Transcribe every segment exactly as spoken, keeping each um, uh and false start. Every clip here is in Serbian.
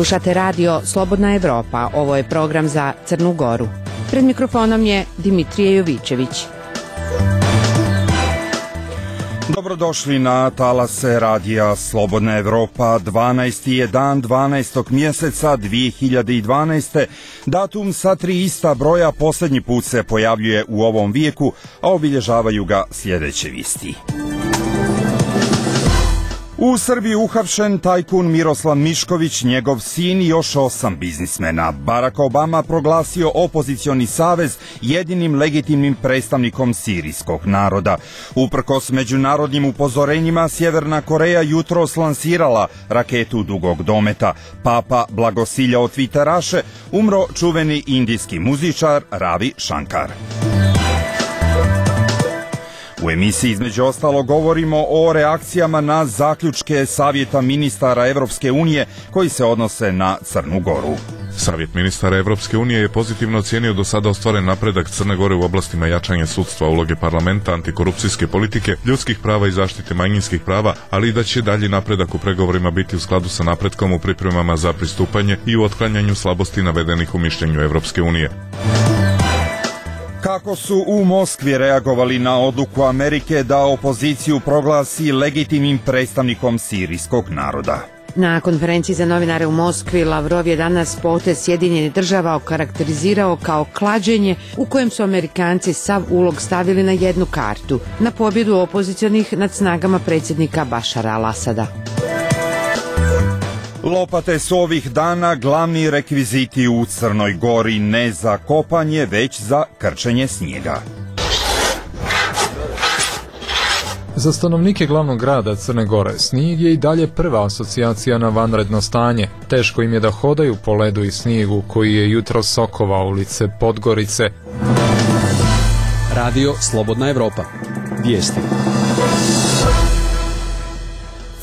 Slušate radio Slobodna Evropa, ovo je program za Crnu Goru. Pred mikrofonom je Dimitrije Jovičević. Dobrodošli na talase radija Slobodna Evropa. dvanaesti je dan dvanaestog mjeseca dvije hiljade dvanaeste. Datum sa tri ista broja posljednji put se pojavljuje u ovom vijeku, a obilježavaju ga sljedeće vijesti. U Srbiji uhapšen tajkun Miroslav Mišković, njegov sin i još osam biznismena. Barack Obama proglasio opozicioni savez jedinim legitimnim predstavnikom sirijskog naroda. Uprkos međunarodnim upozorenjima, Sjeverna Koreja jutros lansirala raketu dugog dometa. Papa blagosiljao tviteraše, umro čuveni indijski muzičar Ravi Shankar. U emisiji između ostalo govorimo o reakcijama na zaključke Savjeta ministara Evropske unije koji se odnose na Crnu Goru. Savjet ministara Evropske unije je pozitivno ocijenio do sada ostvaren napredak Crne Gore u oblastima jačanja sudstva, uloge parlamenta, antikorupcijske politike, ljudskih prava i zaštite manjinskih prava, ali i da će dalji napredak u pregovorima biti u skladu sa napretkom u pripremama za pristupanje i u otklanjanju slabosti navedenih u mišljenju Evropske unije. Kako su u Moskvi reagovali na odluku Amerike da opoziciju proglasi legitimnim predstavnikom sirijskog naroda? Na konferenciji za novinare u Moskvi Lavrov je danas potez Sjedinjenih država okarakterizirao kao klađenje u kojem su Amerikanci sav ulog stavili na jednu kartu, na pobjedu opozicionih nad snagama predsjednika Bašara al-Asada. Lopate su ovih dana glavni rekviziti u Crnoj Gori, ne za kopanje, već za krčenje snijega. Za stanovnike glavnog grada Crne Gore snijeg je i dalje prva asocijacija na vanredno stanje. Teško im je da hodaju po ledu i snijegu koji je jutro sokovao ulice Podgorice. Radio Slobodna Evropa. Vijesti.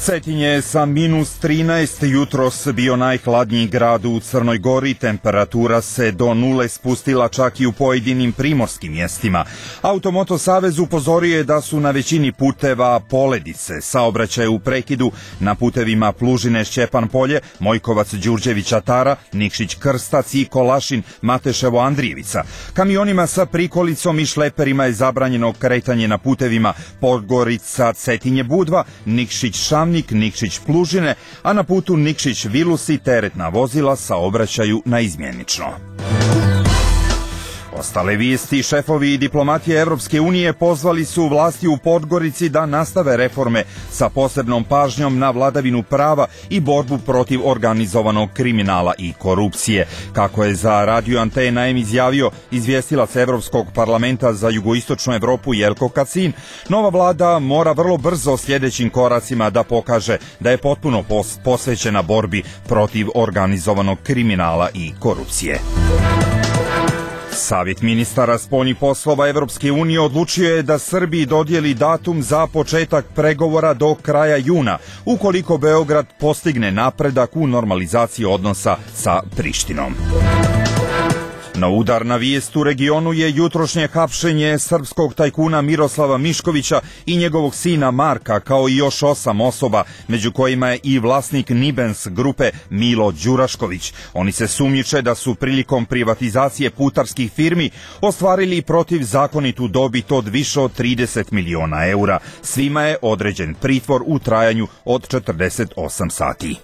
Cetinje je sa minus trinaest jutros bio najhladniji grad u Crnoj Gori, temperatura se do nule spustila čak i u pojedinim primorskim mjestima. Automoto savez upozorio je da su na većini puteva poledice, saobraćaj u prekidu na putevima Plužine Šćepan Polje, Mojkovac Đurđevića Tara, Nikšić Krstac i Kolašin Mateševo Andrijevica. Kamionima sa prikolicom i šleperima je zabranjeno kretanje na putevima Podgorica Cetinje Budva, Nikšić Šamnik, Nikšić Plužine, a na putu Nikšić Vilusi teretna vozila saobraćaju naizmjenično. Ostale vijesti, šefovi diplomatije Evropske unije pozvali su vlasti u Podgorici da nastave reforme sa posebnom pažnjom na vladavinu prava i borbu protiv organizovanog kriminala i korupcije. Kako je za Radio Antena M izjavio izvjestilac Evropskog parlamenta za jugoistočnu Evropu Jelko Kacin, nova vlada mora vrlo brzo sljedećim koracima da pokaže da je potpuno pos- posvećena borbi protiv organizovanog kriminala i korupcije. Savjet ministara spoljnih poslova Evropske unije odlučio je da Srbiji dodijeli datum za početak pregovora do kraja juna, ukoliko Beograd postigne napredak u normalizaciji odnosa sa Prištinom. Na udar na vijest u regionu je jutrošnje hapšenje srpskog tajkuna Miroslava Miškovića i njegovog sina Marka, kao i još osam osoba, među kojima je i vlasnik Nibens grupe Milo Đurašković. Oni se sumnjiče da su prilikom privatizacije putarskih firmi ostvarili protivzakonitu dobit od više od trideset miliona eura. Svima je određen pritvor u trajanju od četrdeset osam sati.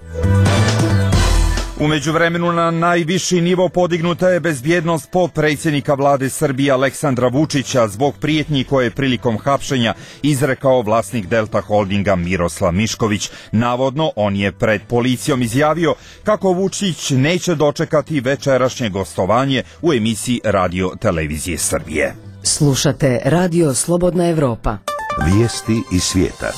U međuvremenu na najviši nivo podignuta je bezbjednost potpredsjednika vlade Srbije Aleksandra Vučića zbog prijetnji koje je prilikom hapšenja izrekao vlasnik Delta Holdinga Miroslav Mišković. Navodno, on je pred policijom izjavio kako Vučić neće dočekati večerašnje gostovanje u emisiji Radio Televizije Srbije. Slušate Radio Slobodna Evropa. Vijesti iz svijeta.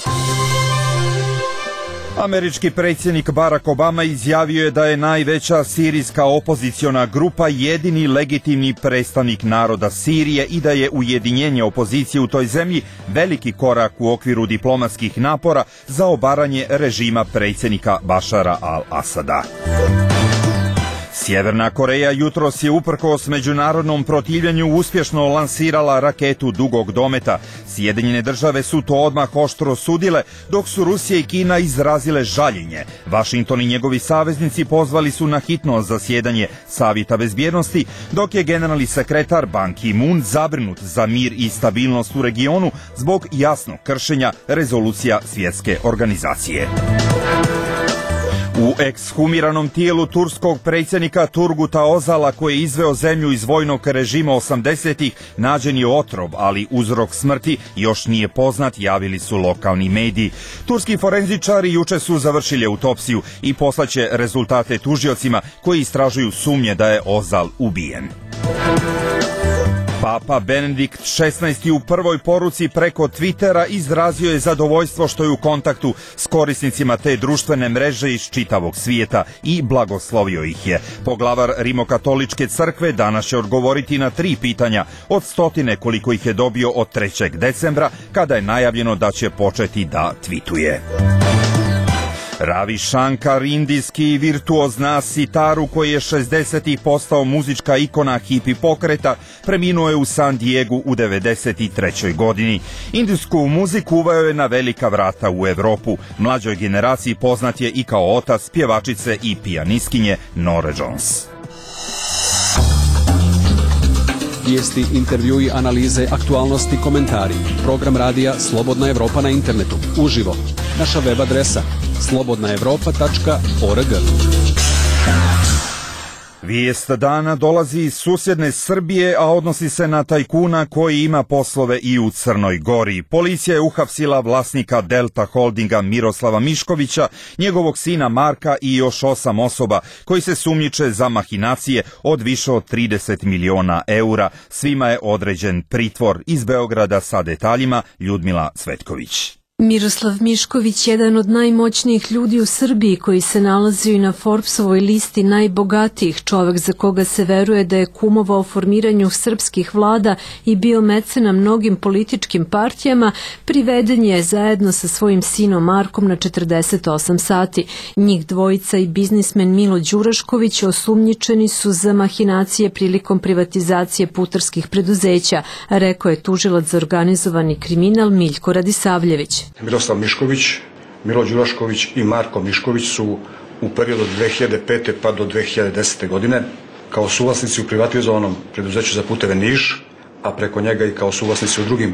Američki predsjednik Barack Obama izjavio je da je najveća sirijska opoziciona grupa jedini legitimni predstavnik naroda Sirije i da je ujedinjenje opozicije u toj zemlji veliki korak u okviru diplomatskih napora za obaranje režima predsjednika Bašara al-Asada. Sjeverna Koreja jutros je uprkos međunarodnom protivljenju uspješno lansirala raketu dugog dometa. Sjedinjene države su to odmah oštro sudile, dok su Rusija i Kina izrazile žaljenje. Vašington i njegovi saveznici pozvali su na hitno zasjedanje Savjeta bezbjednosti, dok je generalni sekretar Ban Ki-moon zabrinut za mir i stabilnost u regionu zbog jasnog kršenja rezolucija svjetske organizacije. U ekshumiranom tijelu turskog predsjednika Turguta Özala, koji je izveo zemlju iz vojnog režima osamdesetih, nađen je otrov, ali uzrok smrti još nije poznat, javili su lokalni mediji. Turski forenzičari juče su završili autopsiju i poslaće rezultate tužiocima koji istražuju sumnje da je Özal ubijen. Papa Benedikt šesnaesti u prvoj poruci preko Twittera izrazio je zadovoljstvo što je u kontaktu s korisnicima te društvene mreže iz čitavog svijeta i blagoslovio ih je. Poglavar Rimokatoličke crkve danas će odgovoriti na tri pitanja od stotine koliko ih je dobio od trećeg decembra, kada je najavljeno da će početi da tvituje. Ravi Shankar, indijski virtuoz na sitaru koji je šezdesetih postao muzička ikona hipi pokreta, preminuo je u San Diegu u devedeset trećoj godini. Indijsku muziku uveo je na velika vrata u Europu. Mlađoj generaciji poznat je i kao otac pjevačice i pijanistkinje Norah Jones. Vijesti, intervjui, analize, aktualnosti, komentari. Program radija Slobodna Evropa na internetu. Uživo. Naša web adresa slobodna evropa tačka org. Vijest dana dolazi iz susjedne Srbije, a odnosi se na tajkuna koji ima poslove i u Crnoj Gori. Policija je uhapsila vlasnika Delta Holdinga Miroslava Miškovića, njegovog sina Marka i još osam osoba koji se sumnjiče za mahinacije od više od trideset miliona eura. Svima je određen pritvor. Iz Beograda sa detaljima Ljudmila Cvetković. Miroslav Mišković, jedan od najmoćnijih ljudi u Srbiji koji se nalazio i na Forbesovoj listi najbogatijih, čovjek za koga se veruje da je kumovao formiranju srpskih vlada i bio mecena mnogim političkim partijama, priveden je zajedno sa svojim sinom Markom na četrdeset osam sati. Njih dvojica i biznismen Milo Đurašković osumnjičeni su za mahinacije prilikom privatizacije putarskih preduzeća, rekao je tužilac za organizovani kriminal Miljko Radisavljević. Miroslav Mišković, Milo Đurašković i Marko Mišković su u periodu od dve hiljade pete pa do dve hiljade desete. godine kao suvlasnici u privatizovanom preduzeću za puteve Niš, a preko njega i kao suvlasnici u drugim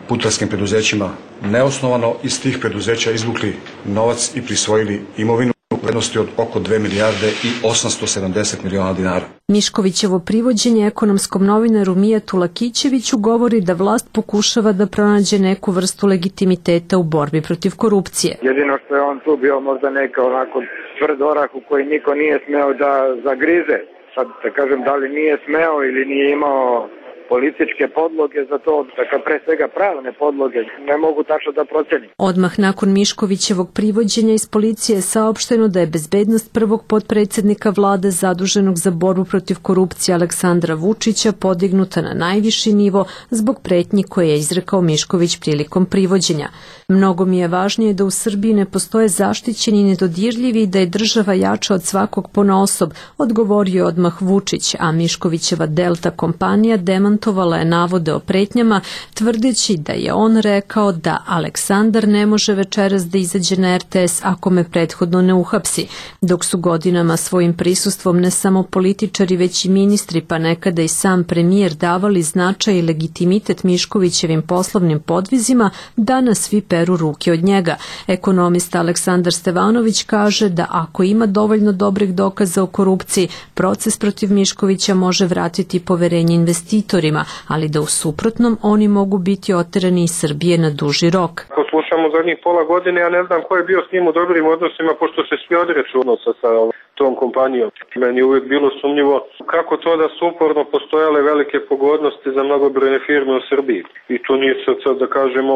putarskim preduzećima neosnovano iz tih preduzeća izvukli novac i prisvojili imovinu u vrednosti od oko dve milijarde i osamsto sedamdeset miliona dinara. Miškovićevo privođenje ekonomskom novinaru Mijatu Lakićeviću govori da vlast pokušava da pronađe neku vrstu legitimiteta u borbi protiv korupcije. Jedino što je on tu bio možda neka onako tvrd orah u koji niko nije smeo da zagrize. Sad da kažem da li nije smeo ili nije imao političke podloge za to, dakle pre svega pravne podloge, ne mogu tačno da procenim. Odmah nakon Miškovićevog privođenja iz policije je saopšteno da je bezbednost prvog potpredsjednika vlade zaduženog za borbu protiv korupcije Aleksandra Vučića podignuta na najviši nivo zbog pretnji koje je izrekao Mišković prilikom privođenja. Mnogo mi je važnije da u Srbiji ne postoje zaštićeni i nedodirljivi i da je država jača od svakog ponaosob, odgovorio je odmah Vučić, a Miškovićeva Delta kompanija demantovala je navode o pretnjama, tvrdeći da je on rekao da Aleksandar ne može večeras da izađe na er te es ako me prethodno ne uhapsi, dok su godinama svojim prisustvom ne samo političari već i ministri, pa nekada i sam premijer davali značaj i legitimitet Miškovićevim poslovnim podvizima, danas svi peru ruke od njega. Ekonomista Aleksandar Stevanović kaže da ako ima dovoljno dobrih dokaza o korupciji, proces protiv Miškovića može vratiti poverenje investitorima, ali da u suprotnom oni mogu biti oterani iz Srbije na duži rok. Ako slušamo zadnjih pola godine, ja ne znam ko je bio s njim u dobrim odnosima, pošto se svi odreću odnosa sa tom kompanijom. Meni je uvijek bilo sumnjivo kako to da su uporno postojale velike pogodnosti za mnogobrojne firme u Srbiji. I to nije sad da kažemo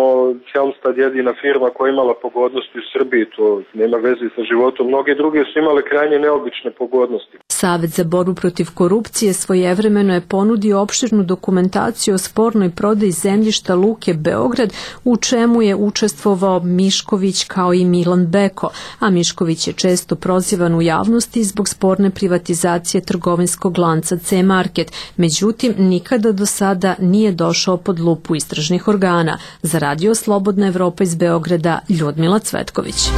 Helmstad jedina firma koja je imala pogodnosti u Srbiji, to nema veze sa životom. Mnoge druge su imale krajnje neobične pogodnosti. Savet za borbu protiv korupcije svojevremeno je ponudio opširnu dokumentaciju o spornoj prodaji zemljišta Luke Beograd, u čemu je učestvovao Mišković kao i Milan Beko, a Mišković je često prozivan u javnosti vlasti zbog sporne privatizacije trgovinskog lanca C-Market, međutim nikada do sada nije došao pod lupu istražnih organa. Za Radio Slobodna Evropa iz Beograda, Ljudmila Cvetković.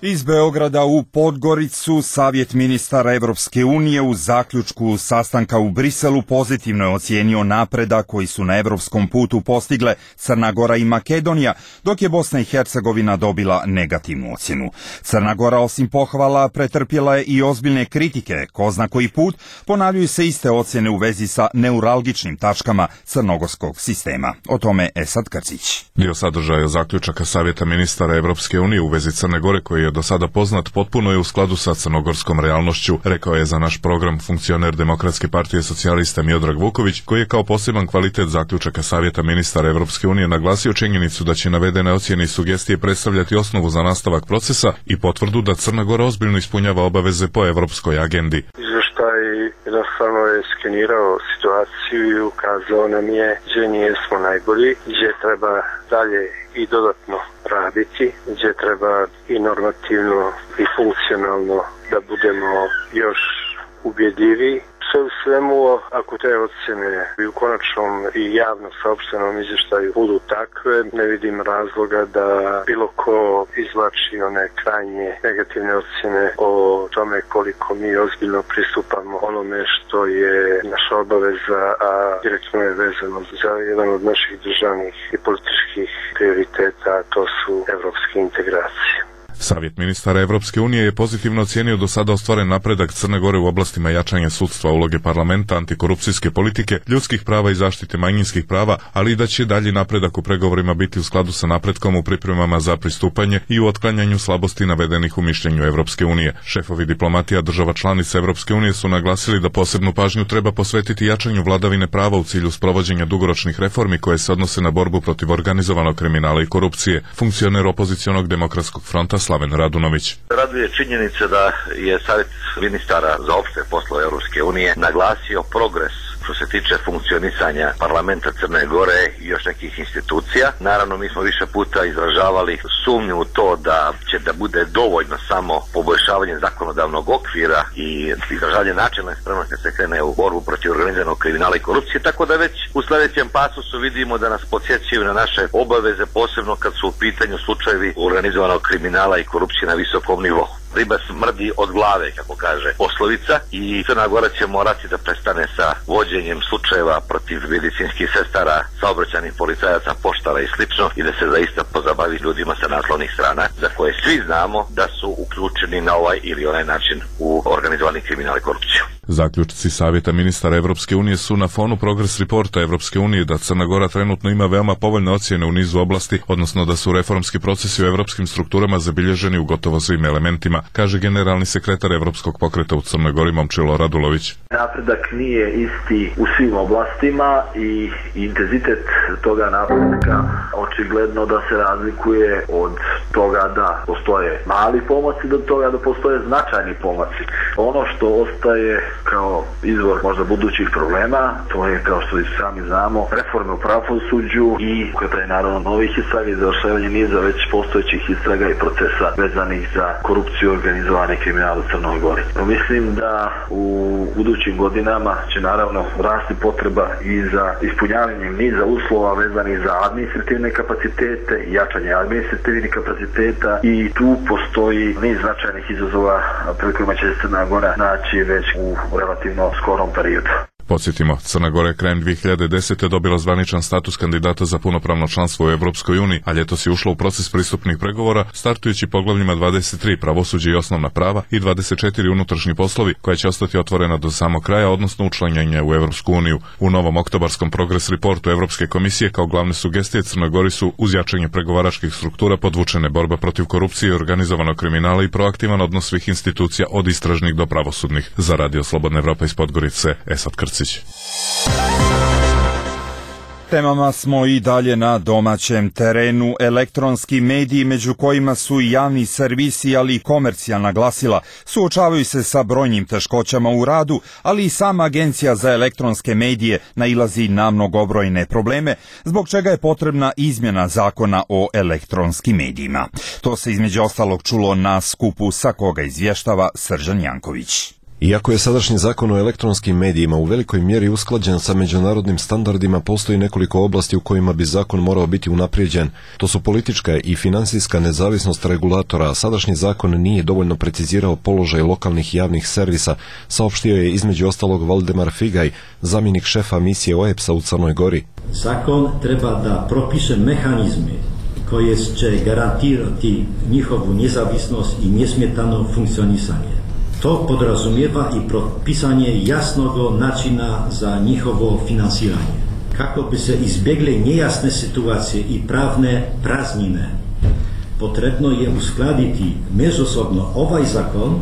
Iz Beograda u Podgoricu Savjet ministara Evropske unije u zaključku sastanka u Briselu pozitivno je ocijenio napredak koji su na evropskom putu postigle Crna Gora i Makedonija, dok je Bosna i Hercegovina dobila negativnu ocjenu. Crna Gora osim pohvala pretrpjela je i ozbiljne kritike, ko zna koji put ponavljaju se iste ocjene u vezi sa neuralgičnim tačkama crnogorskog sistema. O tome Esad Krcić. Dio sadržaja zaključaka Savjeta ministara Evropske unije u vezi Crne Gore koji je do sada poznat potpuno je u skladu sa crnogorskom realnošću, rekao je za naš program funkcioner Demokratske partije socijalista Miodrag Vuković, koji je kao poseban kvalitet zaključaka Savjeta ministara Evropske unije naglasio činjenicu da će navedene ocjene i sugestije predstavljati osnovu za nastavak procesa i potvrdu da Crna Gora ozbiljno ispunjava obaveze po evropskoj agendi. Izveštaj jednostavno je skenirao situaciju i ukazao nam je gdje nijesmo najbolji, gdje treba dalje i dodatno raditi, gdje treba i normativno i funkcionalno da budemo još ubjedljiviji. Sve u svemu, ako te ocjene i u konačnom i javno saopštenom izvještaju budu takve, ne vidim razloga da bilo ko izvlači one krajnje negativne ocjene o tome koliko mi ozbiljno pristupamo onome što je naša obaveza, a direktno je vezano za jedan od naših državnih i političkih prioriteta, a to su evropske integracije. Savjet ministara Evropske unije je pozitivno ocijenio do sada ostvaren napredak Crne Gore u oblastima jačanja sudstva, uloge parlamenta, antikorupcijske politike, ljudskih prava i zaštite manjinskih prava, ali i da će dalji napredak u pregovorima biti u skladu sa napretkom u pripremama za pristupanje i u otklanjanju slabosti navedenih u mišljenju Evropske unije. Šefovi diplomatija država članica Evropske unije su naglasili da posebnu pažnju treba posvetiti jačanju vladavine prava u cilju sprovođenja dugoročnih reformi koje se odnose na borbu protiv organizovanog kriminala i korupcije. Funkcioner opozicionog demokratskog fronta Slaven Radunović. Raduje činjenica da je Savjet ministara za opšte poslove Europske unije naglasio progres što se tiče funkcionisanja parlamenta Crne Gore i još nekih institucija. Naravno, mi smo više puta izražavali sumnju u to da će da bude dovoljno samo poboljšavanje zakonodavnog okvira i izražavanje načelne spremnosti da se krene u borbu protiv organizovanog kriminala i korupcije, tako da već u sljedećem pasusu vidimo da nas podsjećaju na naše obaveze, posebno kad su u pitanju slučajevi organizovanog kriminala i korupcije na visokom nivou. Riba smrdi od glave, kako kaže poslovica, i Crna Gora će morati da prestane sa vođenjem slučajeva protiv medicinskih sestara, saobraćajnih policajaca, poštara i slično i da se zaista pozabavi ljudima sa naslovnih strana za koje svi znamo da su uključeni na ovaj ili onaj način u organizovani kriminal i korupciju. Zaključci Savjeta ministara Evropske unije su na fonu progres reporta Evropske unije da Crna Gora trenutno ima veoma povoljne ocjene u nizu oblasti, odnosno da su reformski procesi u evropskim strukturama zabilježeni u gotovo svim elementima, kaže generalni sekretar Evropskog pokreta u Crnoj Gori Momčilo Radulović. Napredak nije isti u svim oblastima i intenzitet toga napretka očigledno da se razlikuje od toga da postoje mali pomaci do toga da postoje značajni pomaci. Ono što ostaje kao izvor možda budućih problema, to je, kao što i sami znamo, reforme u pravosuđu i ukretanje naravno novih istraga i završavanje niza već postojećih istraga i procesa vezanih za korupciju i organizovane kriminale u Crnoj Gori. Mislim da u budućim godinama će naravno rasti potreba i za ispunjavanjem niza uslova vezanih za administrativne kapacitete i jačanje administrativnih kapaciteta i tu postoji niz značajnih izazova pred kojima će se Crna Gora naći već u relativno skorom periodu. Podsjetimo, Crna Gora je krajem dvije hiljade desete. dobila zvaničan status kandidata za punopravno članstvo u Evropskoj uniji, a ljetos je ušla u proces pristupnih pregovora, startujući poglavljima dvadeset tri pravosuđe i osnovna prava i dvadeset četiri unutrašnji poslovi, koja će ostati otvorena do samog kraja, odnosno učlanjenja u Evropsku uniju. U novom oktobarskom progres reportu Evropske komisije kao glavne sugestije Crnoj Gori su uz jačanje pregovaračkih struktura podvučene borba protiv korupcije i organizovanog kriminala i proaktivan odnos svih institucija od istražnih do pravosudnih. Za Radio Slobodna Evropa iz Podgorice, Esad Krcić. temama smo i dalje na domaćem terenu. Elektronski mediji, među kojima su i javni servisi, ali i komercijalna glasila, suočavaju se sa brojnim teškoćama u radu, ali i sama Agencija za elektronske medije nailazi na mnogobrojne probleme, zbog čega je potrebna izmjena zakona o elektronskim medijima. To se između ostalog čulo na skupu sa koga izvještava Srđan Janković. Iako je sadašnji zakon o elektronskim medijima u velikoj mjeri usklađen sa međunarodnim standardima, postoji nekoliko oblasti u kojima bi zakon morao biti unaprijeđen. To su politička i finansijska nezavisnost regulatora, a sadašnji zakon nije dovoljno precizirao položaj lokalnih javnih servisa, saopštio je između ostalog Valdemar Figaj, zamjenik šefa misije O E P S-a u Crnoj Gori. Zakon treba da propiše mehanizme koje će garantirati njihovu nezavisnost i nesmetano funkcionisanje. To podrazumijeva i propisanje jasnog načina za njihovo finansiranje. Kako bi se izbjegle nejasne situacije i pravne praznine, potrebno je uskladiti međusobno ovaj zakon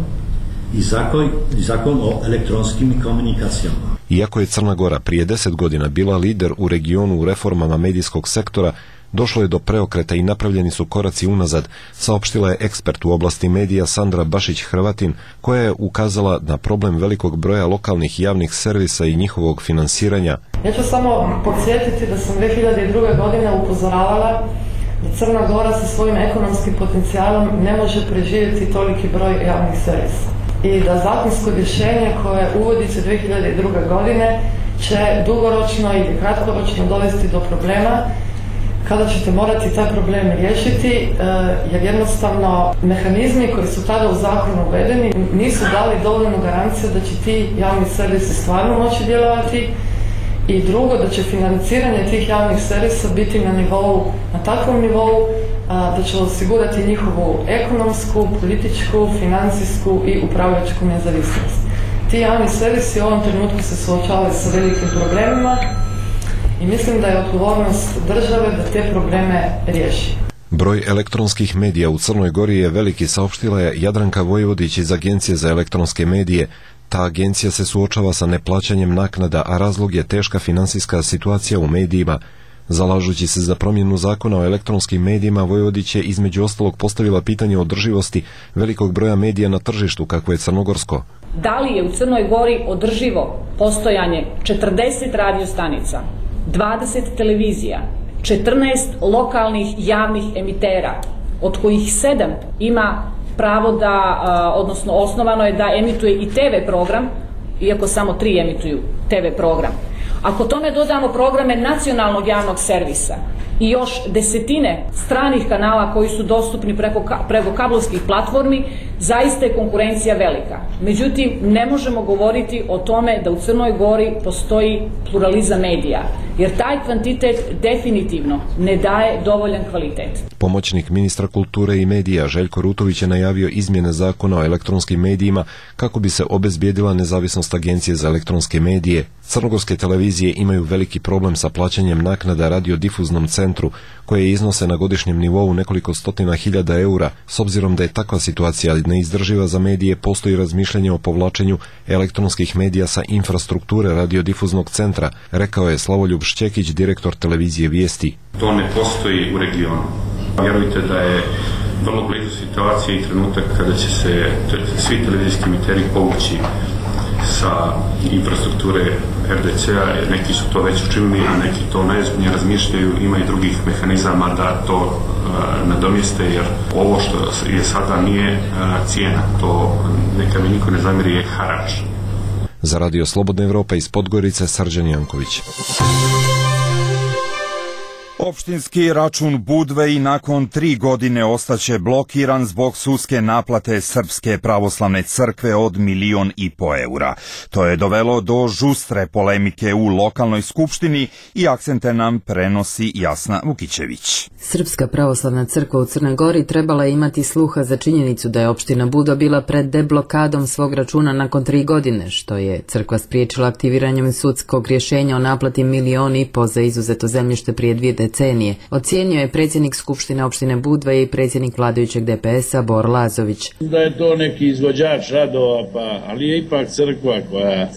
i zakon, zakon o elektronskim komunikacijama. Iako je Crna Gora prije deset godina bila lider u regionu u reformama medijskog sektora, došlo je do preokreta i napravljeni su koraci unazad, saopštila je ekspert u oblasti medija Sandra Bašić-Hrvatin, koja je ukazala na problem velikog broja lokalnih javnih servisa i njihovog finansiranja. Ja ću samo podsjetiti da sam dvije hiljade druge. godine upozoravala da Crna Gora sa svojim ekonomskim potencijalom ne može preživjeti toliki broj javnih servisa. I da zakonsko rješenje koje uvodi se dvije hiljade druge. godine će dugoročno ili kratkoročno dovesti do problema kada ćete morati taj problem riješiti, jer jednostavno mehanizmi koji su tada u zakonu uvedeni nisu dali dovoljnu garanciju da će ti javni servisi stvarno moći djelovati, i drugo, da će financiranje tih javnih servisa biti na nivou, na takvom nivou da će osigurati njihovu ekonomsku, političku, financijsku i upravljačku nezavisnost. Ti javni servisi u ovom trenutku se suočavaju sa velikim problemima i mislim da je odgovornost države da te probleme riješi. Broj elektronskih medija u Crnoj Gori je veliki, saopštila je Jadranka Vojvodić iz Agencije za elektronske medije. Ta agencija se suočava sa neplaćanjem naknada, a razlog je teška finansijska situacija u medijima. Zalažući se za promjenu zakona o elektronskim medijima, Vojvodić je između ostalog postavila pitanje održivosti velikog broja medija na tržištu kakvo je crnogorsko. Da li je u Crnoj Gori održivo postojanje četrdeset radio stanica, dvadeset televizija, četrnaest lokalnih javnih emitera, od kojih sedam ima pravo da, odnosno osnovano je da emituje i te ve program, iako samo tri emituju te ve program. Ako tome dodamo programe nacionalnog javnog servisa i još desetine stranih kanala koji su dostupni preko, preko kablovskih platformi, zaista je konkurencija velika. Međutim, ne možemo govoriti o tome da u Crnoj Gori postoji pluralizam medija, jer taj kvantitet definitivno ne daje dovoljan kvalitet. Pomoćnik ministra kulture i medija Željko Rutović je najavio izmjene zakona o elektronskim medijima kako bi se obezbijedila nezavisnost Agencije za elektronske medije. Crnogorske televizije imaju veliki problem sa plaćanjem naknada radiodifuznom centru, koje iznose na godišnjem nivou nekoliko stotina hiljada eura. S obzirom da je takva situacija neizdrživa za medije, postoji razmišljanje o povlačenju elektronskih medija sa infrastrukture radiodifuznog centra, rekao je Slavoljub Šćekić, direktor televizije Vijesti. To ne postoji u regionu. Vjerujte da je vrlo blizu situacije i trenutak kada će se svi televizijski emiteri povući sa infrastrukture er de ce-a, neki su to već učinili, a neki to najozbiljnije razmišljaju, ima i drugih mehanizama da to uh, nadomjeste, jer ovo što je sada nije uh, cijena, to neka mi niko ne zamjeri, je harač. Za Radio Slobodna Evropa iz Podgorice, Srđan Janković. Opštinski račun Budve i nakon tri godine ostaće blokiran zbog sudske naplate Srpske pravoslavne crkve od milion i po eura. To je dovelo do žustre polemike u lokalnoj skupštini i akcente nam prenosi Jasna Vukićević. Srpska pravoslavna crkva u Crnoj Gori trebala je imati sluha za činjenicu da je opština Budva bila pred deblokadom svog računa nakon tri godine, što je crkva spriječila aktiviranjem sudskog rješenja o naplati milion i po za izuzeto zemljište prije dvije decenije. Ocijenio je predsjednik Skupštine opštine Budva i predsjednik vladajućeg de pe es-a Bor Lazović. Da je to neki izvođač radova, pa, ali je ipak crkva koja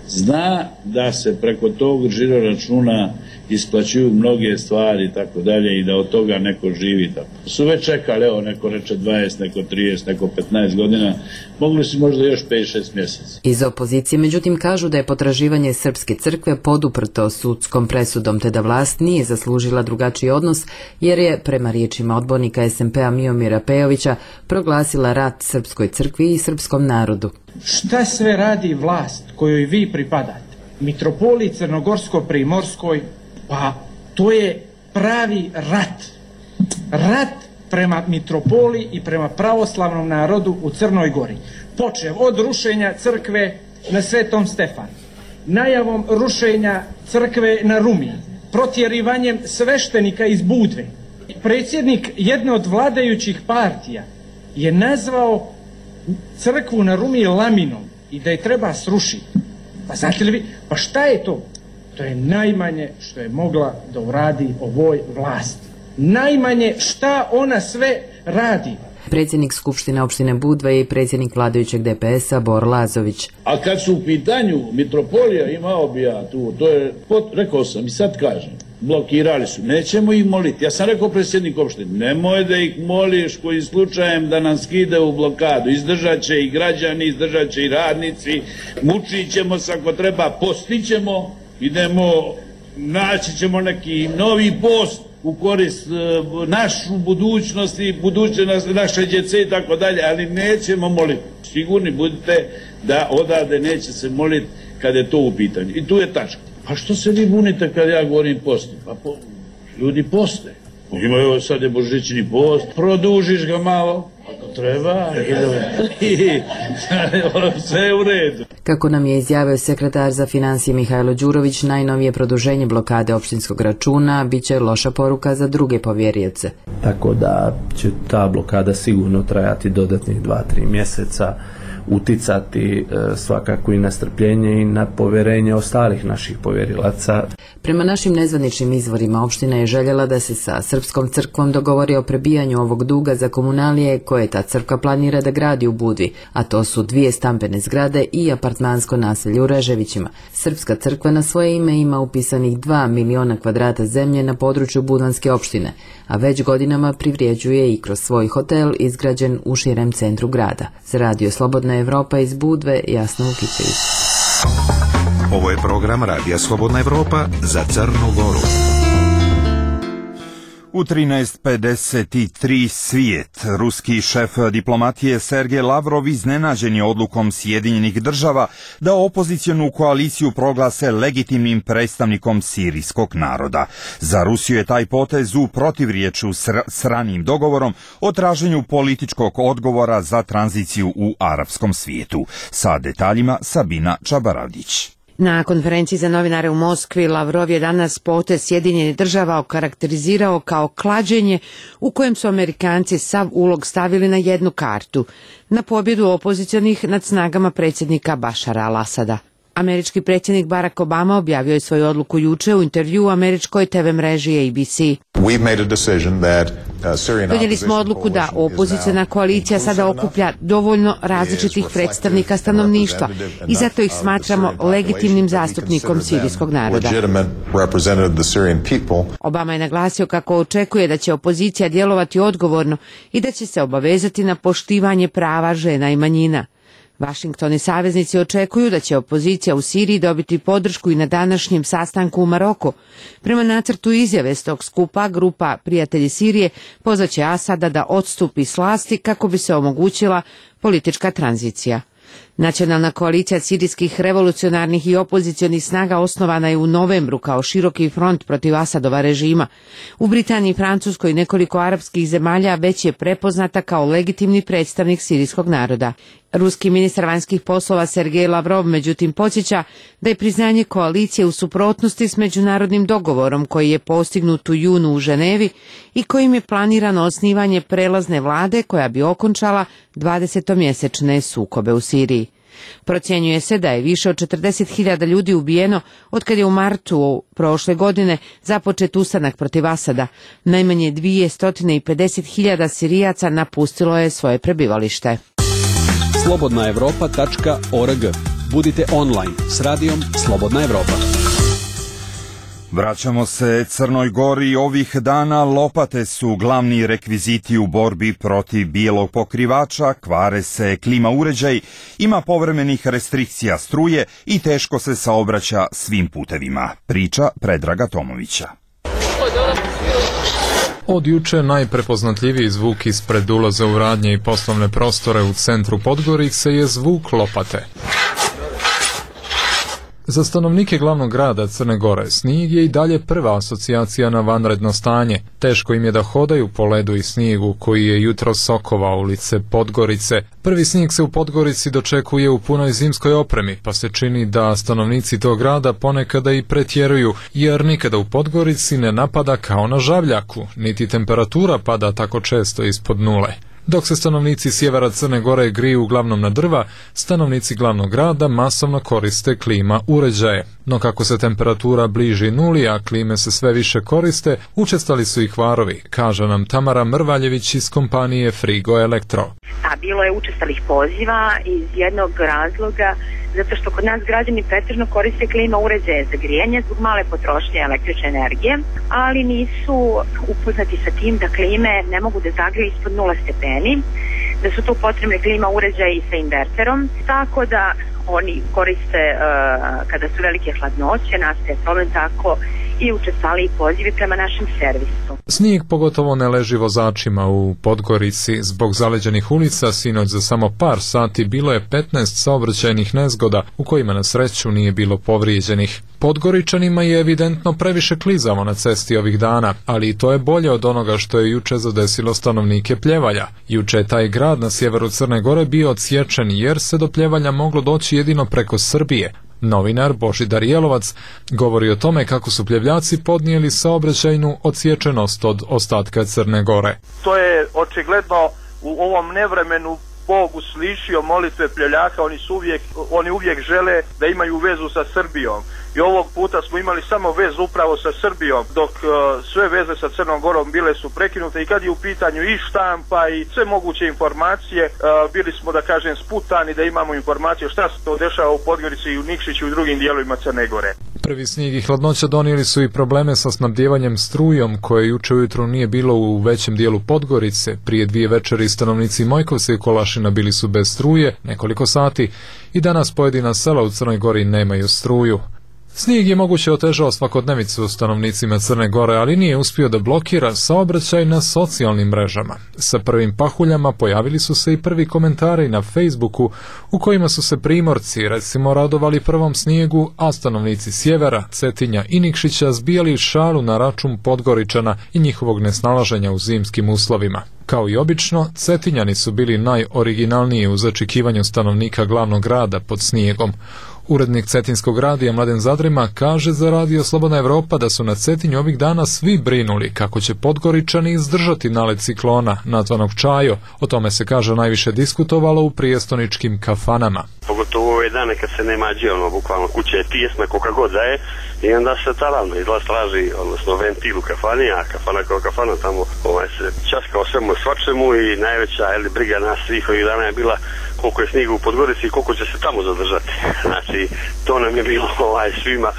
zna da se preko tog žiro računa isplaćuju mnoge stvari i tako dalje i da od toga neko živi. Tako. Su već čekali, evo neko reče dvadeset, neko trideset, neko petnaest godina, mogli su možda još pet šest mjeseca. Iz opozicije međutim kažu da je potraživanje Srpske crkve poduprto sudskom presudom te da vlast nije zaslužila drugačiji odnos jer je, prema riječima odbornika es em pe-a Miomira Pejovića, proglasila rat Srpskoj crkvi i srpskom narodu. Šta sve radi vlast kojoj vi pripadate? Mitropoliji Crnogorsko-Primorskoj, pa to je pravi rat. Rat prema mitropoliji i prema pravoslavnom narodu u Crnoj Gori. Počev od rušenja crkve na Svetom Stefanu, najavom rušenja crkve na Rumi, protjerivanjem sveštenika iz Budve. Predsjednik jedne od vladajućih partija je nazvao crkvu na Rumi laminom i da je treba srušiti. Pa znate li vi, pa šta je to? To je najmanje što je mogla da uradi ovoj vlasti. Najmanje šta ona sve radi. Predsjednik Skupštine opštine Budva i predsjednik vladajućeg de pe es-a Bor Lazović. A kad su u pitanju mitropolija, imao bi ja tu, to je, rekao sam i sad kažem, blokirali su, nećemo ih moliti. Ja sam rekao predsjednik opštine, nemoj da ih moliš koji slučajem da nam skide u blokadu. Izdržat će i građani, izdržat će i radnici, mučit ćemo se ako treba, postićemo, idemo, naći ćemo neki novi post u korist uh, našu budućnost i budućnost naše djece i tako dalje, ali nećemo moliti. Sigurni budite da odavde neće se moliti kada je to u pitanju. I tu je tačka. Pa što se vi bunite kad ja govorim posti? Pa po, ljudi poste. Imaju sad je božićni post, produžiš ga malo, ako treba, i sve je u redu. Kako nam je izjavio sekretar za financije Mihajlo Đurović, najnovije produženje blokade opštinskog računa biće loša poruka za druge povjerioce. Tako da će ta blokada sigurno trajati dodatnih dva tri mjeseca, uticati e, svakako i na strpljenje i na povjerenje ostalih naših povjerilaca. Prema našim nezvaničnim izvorima, opština je željela da se sa Srpskom crkvom dogovori o prebijanju ovog duga za komunalije koje ta crkva planira da gradi u Budvi, a to su dvije stambene zgrade i apartmansko naselje u Reževićima. Srpska crkva na svoje ime ima upisanih dva miliona kvadrata zemlje na području Budvanske opštine, a već godinama privređuje i kroz svoj hotel izgrađen u širem centru grada. Za radio Slobodna Evropa iz Budve, Jasna Vukićević. Ovo je program Radija Slobodna Evropa za Crnu Goru. U trinaest pedeset tri svijet. Ruski šef diplomatije Sergej Lavrov iznenađen je odlukom Sjedinjenih država da opozicionu koaliciju proglase legitimnim predstavnikom sirijskog naroda. Za Rusiju je taj potez u protivriječju s ranijim dogovorom o traženju političkog odgovora za tranziciju u arapskom svijetu. Sa detaljima Sabina Čabaradić. Na konferenciji za novinare u Moskvi Lavrov je danas potez Sjedinjenih država okarakterizirao kao klađenje u kojem su Amerikanci sav ulog stavili na jednu kartu, na pobjedu opozicionih nad snagama predsjednika Bašara al-Asada. Američki predsjednik Barack Obama objavio je svoju odluku juče u intervjuu američkoj te ve mreži A B C. Donijeli smo odluku da opoziciona koalicija sada okuplja dovoljno različitih predstavnika stanovništva i zato ih smatramo legitimnim zastupnikom sirijskog naroda. Obama je naglasio kako očekuje da će opozicija djelovati odgovorno i da će se obavezati na poštivanje prava žena i manjina. Washington i saveznici očekuju da će opozicija u Siriji dobiti podršku i na današnjem sastanku u Maroku. Prema nacrtu izjave s tog skupa, grupa Prijatelji Sirije pozvaće Asada da odstupi s vlasti kako bi se omogućila politička tranzicija. Nacionalna koalicija sirijskih revolucionarnih i opozicionih snaga osnovana je u novembru kao široki front protiv Asadova režima. U Britaniji, Francuskoj i nekoliko arapskih zemalja već je prepoznata kao legitimni predstavnik sirijskog naroda. Ruski ministar vanjskih poslova Sergej Lavrov međutim podsjeća da je priznanje koalicije u suprotnosti s međunarodnim dogovorom koji je postignut u junu u Ženevi i kojim je planirano osnivanje prelazne vlade koja bi okončala dvadesetomjesečne sukobe u Siriji. Procjenjuje se da je više od četrdeset hiljada ljudi ubijeno otkad je u martu prošle godine započet ustanak protiv Asada. Najmanje dvjesto pedeset hiljada Sirijaca napustilo je svoje prebivalište. slobodna evropa tačka org. Budite online s radijom Slobodna Evropa. Vraćamo se Crnoj Gori. Ovih dana lopate su glavni rekviziti u borbi protiv bijelog pokrivača, kvare se klima uređaj, ima povremenih restrikcija struje i teško se saobraća svim putevima. Priča Predraga Tomovića. Od juče najprepoznatljiviji zvuk ispred ulaza u radnje i poslovne prostore u centru Podgorice je zvuk lopate. Za stanovnike glavnog grada Crne Gore snijeg je i dalje prva asocijacija na vanredno stanje. Teško im je da hodaju po ledu i snijegu koji je jutro sokovao ulice Podgorice. Prvi snijeg se u Podgorici dočekuje u punoj zimskoj opremi, pa se čini da stanovnici tog grada ponekada i pretjeruju, jer nikada u Podgorici ne napada kao na Žavljaku, niti temperatura pada tako često ispod nule. Dok se stanovnici sjevera Crne Gore griju uglavnom na drva, stanovnici glavnog grada masovno koriste klima uređaje. No kako se temperatura bliži nuli, a klime se sve više koriste, učestali su i kvarovi, kaže nam Tamara Mrvaljević iz kompanije Frigo Elektro. A bilo je učestalih poziva iz jednog razloga, zato što kod nas građani pretežno koriste klima uređaje za grijanje zbog male potrošnje električne energije, ali nisu upoznati sa tim da klime ne mogu da zagriju ispod nula stepeni, da su tu potrebne klima uređaji sa inverterom, tako da oni koriste uh, kada su velike hladnoće, nastaje problem, tako i učestvali pozivi prema našem servisu. Snijeg pogotovo ne leži vozačima u Podgorici. Zbog zaleđenih ulica sinoć za samo par sati bilo je petnaest saobraćajnih nezgoda u kojima na sreću nije bilo povrijeđenih. Podgoričanima je evidentno previše klizavo na cesti ovih dana, ali i to je bolje od onoga što je juče zadesilo stanovnike Pljevalja. Juče je taj grad na sjeveru Crne Gore bio odsječen jer se do Pljevalja moglo doći jedino preko Srbije. Novinar Božidar Jelovac govori o tome kako su Pljevljaci podnijeli saobraćajnu odsječenost od ostatka Crne Gore. To je očigledno u ovom nevremenu Bog uslišio molitve Pljevljaka, oni su uvijek, oni uvijek žele da imaju vezu sa Srbijom. I ovog puta smo imali samo vezu upravo sa Srbijom, dok uh, sve veze sa Crnom Gorom bile su prekinute i kad je u pitanju i štampa i sve moguće informacije, uh, bili smo, da kažem, sputani da imamo informacije šta se to dešava u Podgorici i u Nikšiću i u drugim dijelovima Crne Gore. Prvi snijeg i hladnoća donijeli su i probleme sa snabdjevanjem strujom koje juče ujutro nije bilo u većem dijelu Podgorice. Prije dvije večeri stanovnici Mojkovca i Kolašina bili su bez struje nekoliko sati i danas pojedina sela u Crnoj Gori nemaju struju. Snijeg je moguće otežao svakodnevicu stanovnicima Crne Gore, ali nije uspio da blokira saobraćaj na socijalnim mrežama. Sa prvim pahuljama pojavili su se i prvi komentari na Facebooku u kojima su se primorci recimo radovali prvom snijegu, a stanovnici sjevera, Cetinja i Nikšića zbijali šalu na račun Podgoričana i njihovog nesnalaženja u zimskim uslovima. Kao i obično, Cetinjani su bili najoriginalniji u začekivanju stanovnika glavnog grada pod snijegom. Urednik Cetinskog radija Mladen Zadrima kaže za radio Slobodna Evropa da su na Cetinju ovih dana svi brinuli kako će Podgoričani izdržati nalet ciklona nazvanog Čajo. O tome se, kaže, najviše diskutovalo u prijestoničkim kafanama. Pogotovo ove dane kad se nema džije, ono, bukvalno kuća je tijesna koga god da je i onda se taravno izlaz traži, odnosno ventil u kafani, a kafana kao kafana tamo ovaj, se časka o svemu svačemu i najveća eli, briga nas svih ovih dana je bila koliko je snijega u Podgorici i koliko će se tamo zadržati. Znači, to nam je bilo ovaj, svima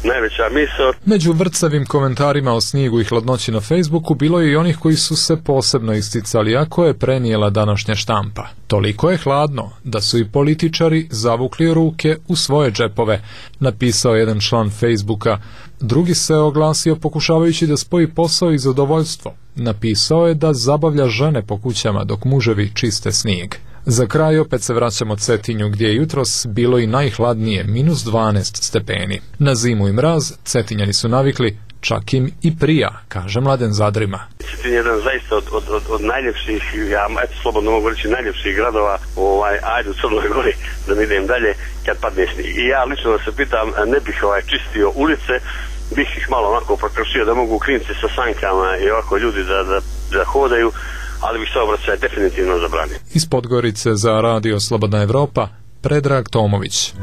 najveća misao. Među vrcavim komentarima o snijegu i hladnoći na Facebooku bilo je i onih koji su se posebno isticali, ako je prenijela današnja štampa. Toliko je hladno da su i političari zavukli ruke u svoje džepove, napisao jedan član Facebooka. Drugi se oglasio pokušavajući da spoji posao i zadovoljstvo. Napisao je da zabavlja žene po kućama dok muževi čiste snijeg. Za kraj opet se vraćamo Cetinju gdje je jutros bilo i najhladnije, minus dvanaest stepeni. Na zimu i mraz Cetinjani su navikli, čak im i prija, kaže Mladen Zadrima. Cetin je jedan zaista od, od, od, od najljepših, ja eto slobodno mogu reći, najljepših gradova ovaj, ajde u Crnoj Gori, da ne idem dalje, kad padne snijeg. I ja lično da se pitam, ne bih ovaj, čistio ulice, bih ih malo onako prokršio da mogu klinci sa sankama i ovako ljudi da, da, da hodaju, ali bih se obraćaj definitivno zabranio. Iz Podgorice za radio Slobodna Evropa, Predrag Tomović.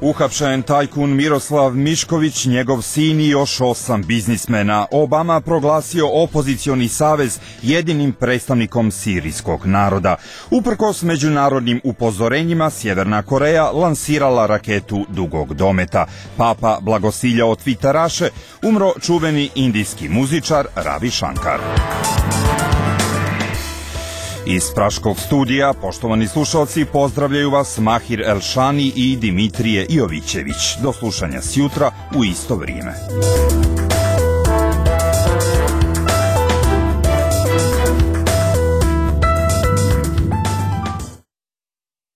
Uhapšen tajkun Miroslav Mišković, njegov sin i još osam biznismena. Obama proglasio opozicioni savez jedinim predstavnikom sirijskog naroda. Uprkos međunarodnim upozorenjima, Sjeverna Koreja lansirala raketu dugog dometa. Papa blagosiljao tviteraše, umro čuveni indijski muzičar Ravi Shankar. Iz Praškog studija, poštovani slušalci, pozdravljaju vas Mahir Elšani i Dimitrije Jovićević. Do slušanja sjutra u isto vrijeme.